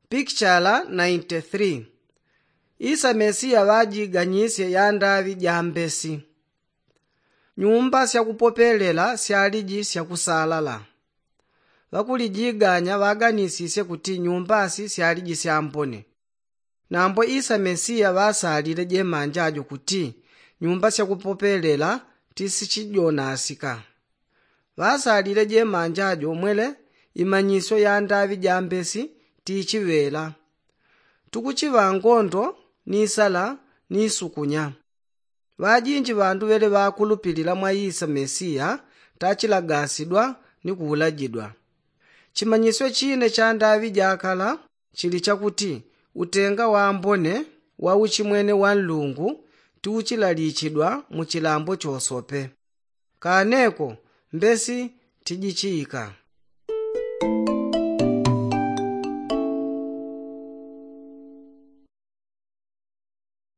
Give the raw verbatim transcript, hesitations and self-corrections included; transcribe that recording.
Pikichala nainti three. Isa mesiya ŵajiganyisye yandaŵi ja mbesi. Nyumba syakupopelela syaliji syakusalala. Ŵakulijiganya ŵaganisisye kuti nyumbasi syaliji syambone. Nambo isa mesiya ŵasalile jemanja jo kuti nyumba syakupopelela tisichijonasika. Ŵasalile jemanja jo mwele imanyisyo yandaŵi ja mbesi tichiŵela. Tukuchiŵa ngondo ni sala ni sukunya. Ŵajinji ŵandu ŵele ŵakulupilila mwa isa mesiya tachilagasidwa ni kuulajidwa. Chimanyisyo chine cha ndaŵi jakala chili chakuti utenga wambone wa uchimwene wa nlungu tiuchilalichidwa mu chilambo chosope. Kaneko mbesi tijichiika.